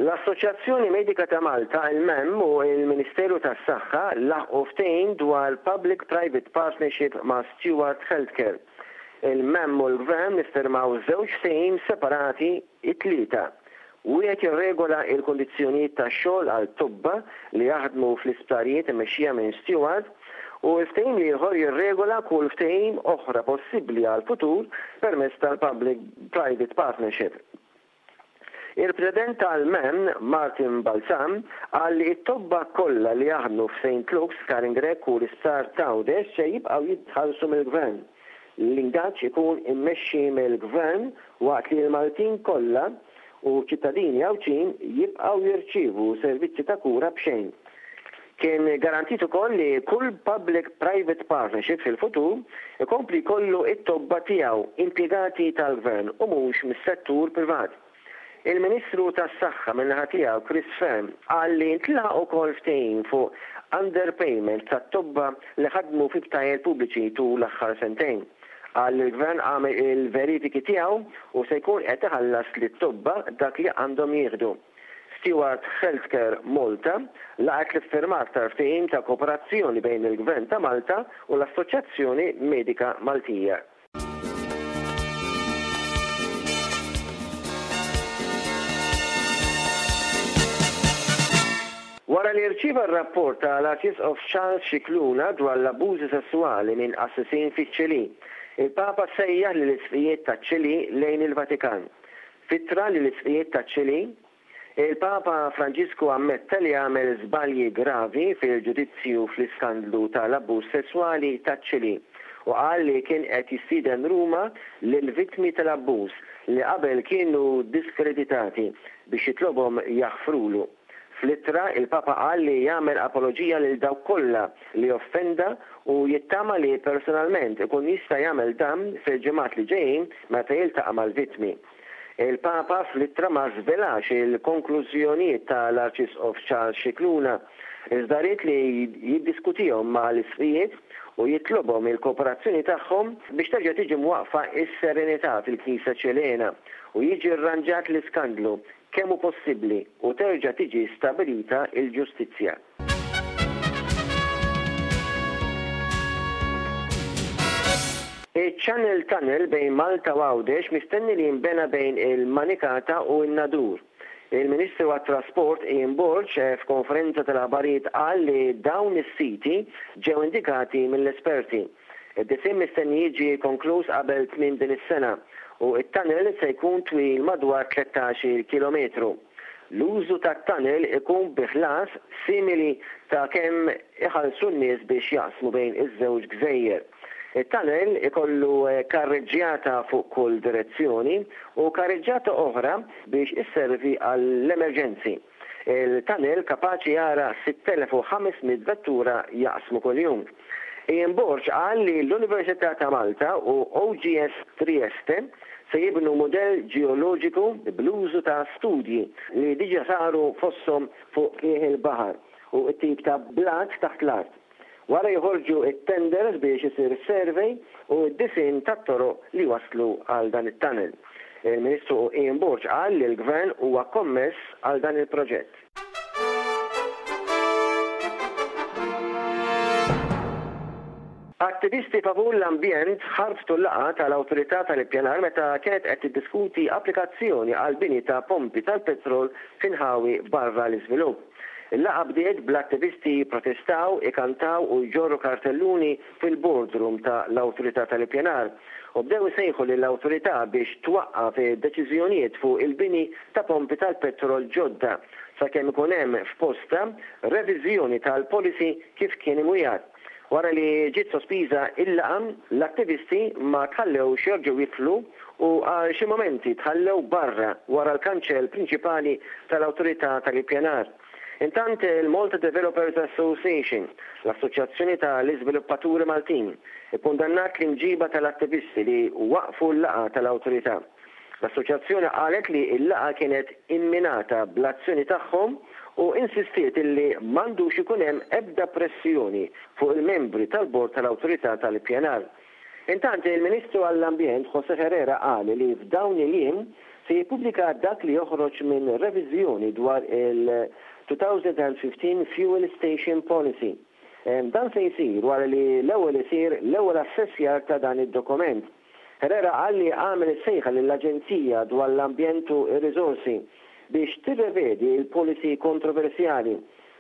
L-Assoċjazzjoni Medika ta' Malta, il-MEM, u l-Ministeru tas-Saħħa laħqu ftehim dwar Public Private Partnership ma' Steward Healthcare. Il-MEM u l-Gvern iffirmaw żewġ ftehim separati it-Tlieta. Wieħed jirregola l-kundizzjonijiet tax-xogħol għal tobba li jaħdmu fl-isptarijiet immexxija minn Steward u l-ftehim l-ieħor jirregola kull ftehim oħra possibbli għall-futur permezz tal-Public Private Partnership. Il-President tal-MEM, Martin Balzan, qal li t-tobba kollha li jaħdmu f'Saint Luke's, Karin Grech u l-Isptar t'Għawdex se jibqgħu jitħallsu mill-Gvern. L-ingaġġ ikun immexxi mill-Gvern waqt li l-Maltin kollha u ċittadini Għawdxin jibqgħu jirċievu servizzi ta' kura b'xejn. Kien garantit ukoll li kull public private partnership fil-futur ikompli jkollu t-tobba tiegħu impjegati tal-Gvern u mhux mis-settur privat. Il-Ministru tas-Saħħa min-naħa tiegħu Chris Fearne qal li ntlaħaq ukoll ftehim fuq underpayment tat-tobba li ħadmu fi btajjel pubbliċi tul l-aħħar sentejn. Qal li l-Gvern għamel il-verifiki tiegħu u se jkun qed iħallas lit-tobba dak li għandhom jieħdu. Steward Healthcare Malta laqgħet l-iffirmar tal-ftehim ta' kooperazzjoni bejn il-Gvern ta' Malta u l-Assoċjazzjoni Medika Maltija. Wara li rċieva r-rapport ta' l-Arċisqof Charles Scicluna dwar l-abbużi sesswali minn qassisin fiċ-Ċilì, il-Papa sejjaħ lill-Isqfijiet taċ-Ċilì lejn il-Vatikan. F'ittra lill-Isqfijiet taċ-Ċilì, il-Papa Franġisku ammetta li għamel żbalji gravi fil-ġudizzju fl-iskandlu ta' l-abbuż sesswali taċ-Ċilì u qal li kien qed jistieden Ruma lill-vittmi tal-abbuż li qabel kienu diskreditati biex jitlobhom jaħfrulu. Fl-ittra, il-Papa qal li jagħmel apoloġija lil dawk kollha li offenda u jittama li personalment ikun jista' jagħmel dan fil-ġimgħat li ġejjin meta jiltaqa' mal-vittmi. Il-Papa fl-ittra ma żvelax il-konklużjonijiet ta' l-Arċisqof Charles Scicluna, iżda ried li jiddiskutihom ma' l-isqfijiet u jitlobhom il-kooperazzjoni tagħhom biex terġa' tiġi mwaqqfa s-serenità fil-Knisja Ċilena u jiġi rranġat l-iskandlu kemm hu possibbli u terġa' tiġi stabilita l-ġustizzja. Iċ-Channel Tunnel bejn Malta u Għawdex mistenni li jinbena bejn il-Manikata u n-Nadur. Il-Ministru għat-Trasport Ian Borg f'konferenza tal-aħbarijiet qal li dawn is-siti ġew indikati mill-esperti. Id-disinn mistenni jiġi konkluż qabel tmiem din is-sena u t-tunnel se jkun twil madwar 13-il kilometru. L-użu tat-tunnel ikun bi ħlas simili ta' kemm iħallsu n-nies biex jaqsmu bejn iż-żewġ gżejjer. It-tunnel ikollu karreġġjata fuq kull direzzjoni u karreġġjata oħra biex isservi għall-emerġenzi. Il-tunnel kapaċi jara 6,500 vettura jaqsmu kuljum. Ian Borg qal li l-Università ta' Malta u OGS Trieste se jibnu mudell ġeoloġiku bl-użu ta' studji li diġà saru fosthom fuq qiegħ il-baħar u t-tip ta' blat taħt l-art. Wara joħorġu t-tenders biex isir survey u d-disinn tat-toroq li jwasslu għal dan it-tunnel. Il-Ministru Ian Borg qal li l-Gvern huwa kommess għal dan il-proġett. Attivisti favur l-ambjent ħarbtu l-laqgħa tal-Awtorità tal-Ippjanar meta kienet qed tiddiskuti applikazzjoni għall-bini ta' pompi tal-petrol f'inħawi barra l-iżvilupp. Il-laqgħa bdiet bl-attivisti jipprotestaw, ikantaw u jġorru kartelluni fil-boardroom ta' l-Awtorità tal-Ippjanar u bdew isejħu lill-Awtorità biex twaqqaf id-deċiżjonijiet fuq il-bini ta' pompi tal-petrol ġodda sakemm ikun hemm f'postha reviżjoni tal-policy kif kien imwiegħed. Wara li ġiet sospiża il-laqgħa, l-attivisti ma tħallewx jerġgħu jidħlu u għal xi mumenti tħallew barra wara l-kanċell prinċipali tal-Awtorità tal-Ippjanar. Intant il-Malta Developers Association, l-assoċjazzjoni ta' l-iżviluppaturi Maltin, ikkundannat l-imġiba tal-attivisti li waqqfu l-laqgħa tal-Awtorità. L-assoċjazzjoni qalet li l-laqgħa kienet imminata bl-azzjoni tagħhom u insistiet illi m'għandux ikun hemm ebda pressjoni fuq il-membri tal-Bord tal-Awtorità tal-Ippjanar. Intant, il-Ministru għall-Ambjent José Herrera qal li f'dawn il-jiem se jippubblika dak li joħroġ minn reviżjoni dwar il-2015 Fuel Station Policy. Dan se jsir wara li l-ewwel isir l-ewwel assessjar ta' dan id-dokument. Herrera qal li għamel sejħa lill-Aġenzija dwar l-Ambjent u r-Riżorsi biex tirrevedi l-policy kontroversjali.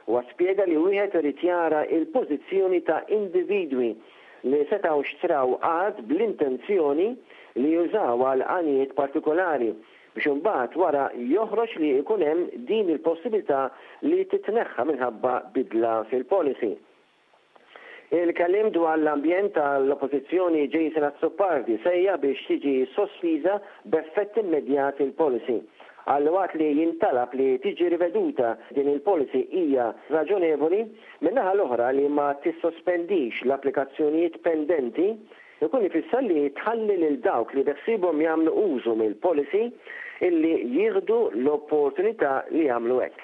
Huwa spjega li wieħed irid jara l-pożizzjoni ta' individwi li setgħu xtraw art bl-intenzjoni li jużawha għal għanijiet partikolari biex imbagħad wara joħroġ li jkun hemm din il-possibilità li titneħħa minħabba bidla fil-policy. Il-kelliem dwar l-ambjent tal-Oppożizzjoni Jason Azzopardi sejjaħ biex tiġi sospiża b'effett immedjat il-policy. Qal li waqt li jintalab li tiġi riveduta din il-policy hija raġonevoli, min-naħa l-oħra li ma tissospendix l-applikazzjonijiet pendenti Ikun ifisser li tħalli lil dawk li beħsiebhom jagħmlu użu mill-policy illi jieħdu l-opportunità li jagħmlu hekk.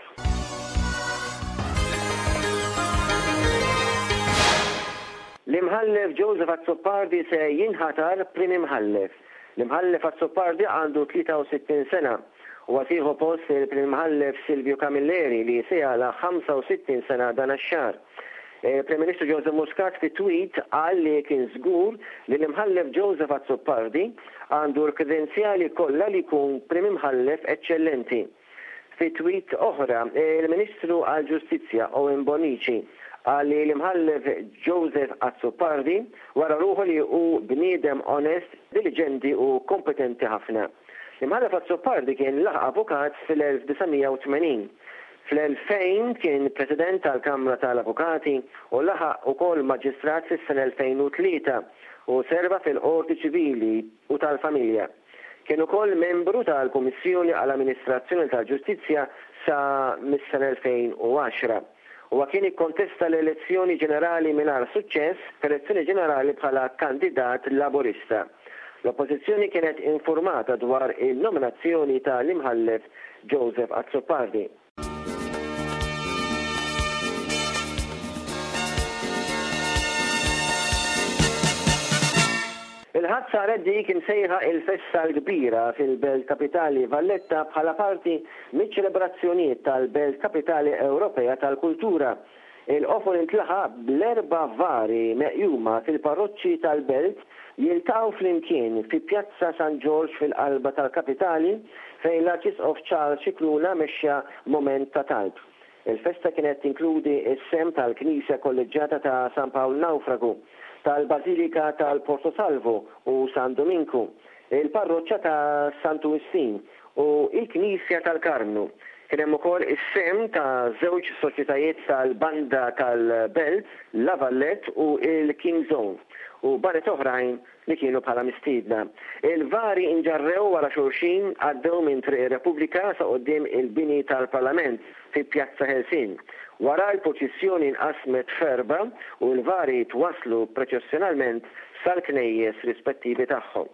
L-Imħallef Joseph Azzopardi se jinħatar Prim Imħallef. L-Imħallef Azzopardi għandu 63 sena. Huwa se jieħu post il-Prim Imħallef Silvio Camilleri li se jagħlaq 65 sena dan ix-xahar. Il-Prim Ministru Joseph Muscat fi tweet qal li kien żgur li l-Imħallef Joseph Azzopardi għandu l-kredenzjali kollha li jkun Prim Imħallef eċċellenti. Fi tweet oħra, il-Ministru għall-Ġustizzja Owen Bonnici qal li l-Imħallef Joseph Azzopardi wera ruħu li hu bniedem onest, diliġenti u kompetenti ħafna. L-Imħallef Azzopardi kien laħaq avukat fil-1980. Fl-2000 kien President tal-Kamra tal-Avukati u laħaq ukoll Maġistrat fis-sena 2003 u serva fil-Qorti Ċivili u tal-Familja. Kien ukoll membru tal-Kummissjoni għall-Amministrazzjoni tal-Ġustizzja sa mis-sena 2010. Huwa kien ikkontesta l-elezzjoni ġenerali mingħajr suċċess f'elezzjoni ġenerali bħala kandidat Laburista. L-Oppożizzjoni kienet infurmata dwar in-nominazzjoni ta' l-Imħallef Joseph Azzopardi. Il-Ħadd saret dik imsejħa il-Festa l-Kbira fil-belt kapitali Valletta bħala parti miċ-ċelebrazzjonijiet tal-Belt Kapitali Ewropea tal-Kultura. Il-qofol intlaħaq bl-erba' vari meqjuma fil-parroċċi tal-belt jiltaqgħu flimkien fi Pjazza San Ġorġ fil-qalba tal-kapitali fejn l-Arċisqof Charles Scicluna mexxa mument ta' talb. Il-festa kienet tinkludi s-sehem tal-Knisja Kolleġġjata ta' San Pawl Nawfragu, tal-Bażilika tal-Porto Salvo u San Duminku, il-Parroċċa ta' Santu Wistin u l-Knisja tal-Karmnu. Kien hemm ukoll is-sehem ta' żewġ soċjetajiet tal-Banda tal-Belt, La Valette u l-King's Own, u baned oħrajn li kienu bħala mistiedna. Il-vari nġarrew wara xulxin, għaddew minn Triq ir-Repubblika sa quddiem il-bini tal-Parlament fi Pjazza Ħelsien. Wara l-purċissjoni nqasmet f'erbgħa u l-vari twasslu preċessjonalment sal-knejjes rispettivi tagħhom.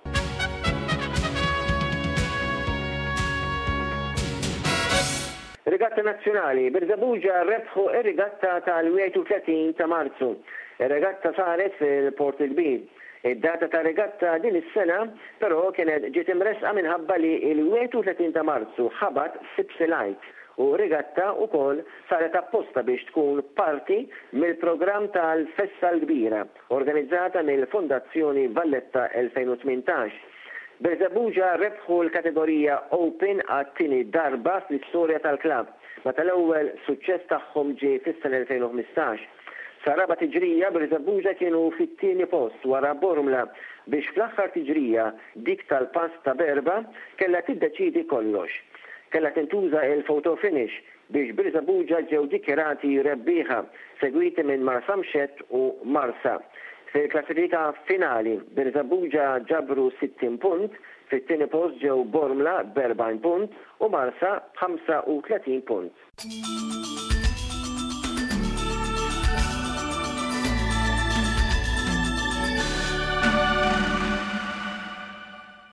Regatta Nazzjonali, Birżebbuġa rebħu r-regatta tal-31 ta' Marzu. Ir-regatta saret fil-Port il-Kbir. Id-data tar-regatta din is-sena, però, kienet ġiet imressqa minħabba li l-31 ta' Marzu ħabat Sibt il-Għid u r-regatta wkoll saret apposta biex tkun parti mill-programm tal-Festa l-Kbira organizzata mill-Fondazzjoni Valletta 2018. Birżebbuġa rebħu l-kategorija Open għat-tieni darba fl-istorja tal-klabb, meta l-ewwel suċċess tagħhom ġie fis-sena 2015. Sar-raba' tiġrija Birżebbuġa kienu fit-tieni post wara Bormla biex fl-aħħar tiġrija, dik tal-pass ta' b'erbgħa, kellha tiddeċiedi kollox. Kellha tintuża il-photo finish biex Birżebbuġa ġew dikjarati rebbieħa, segwiti minn Marsamxett u Marsa. Fil-klassifika finali, Birżebbuġa ġabru 60 punt, fit-tieni post ġew Bormla b'40 punt u Marsa b'35 punt.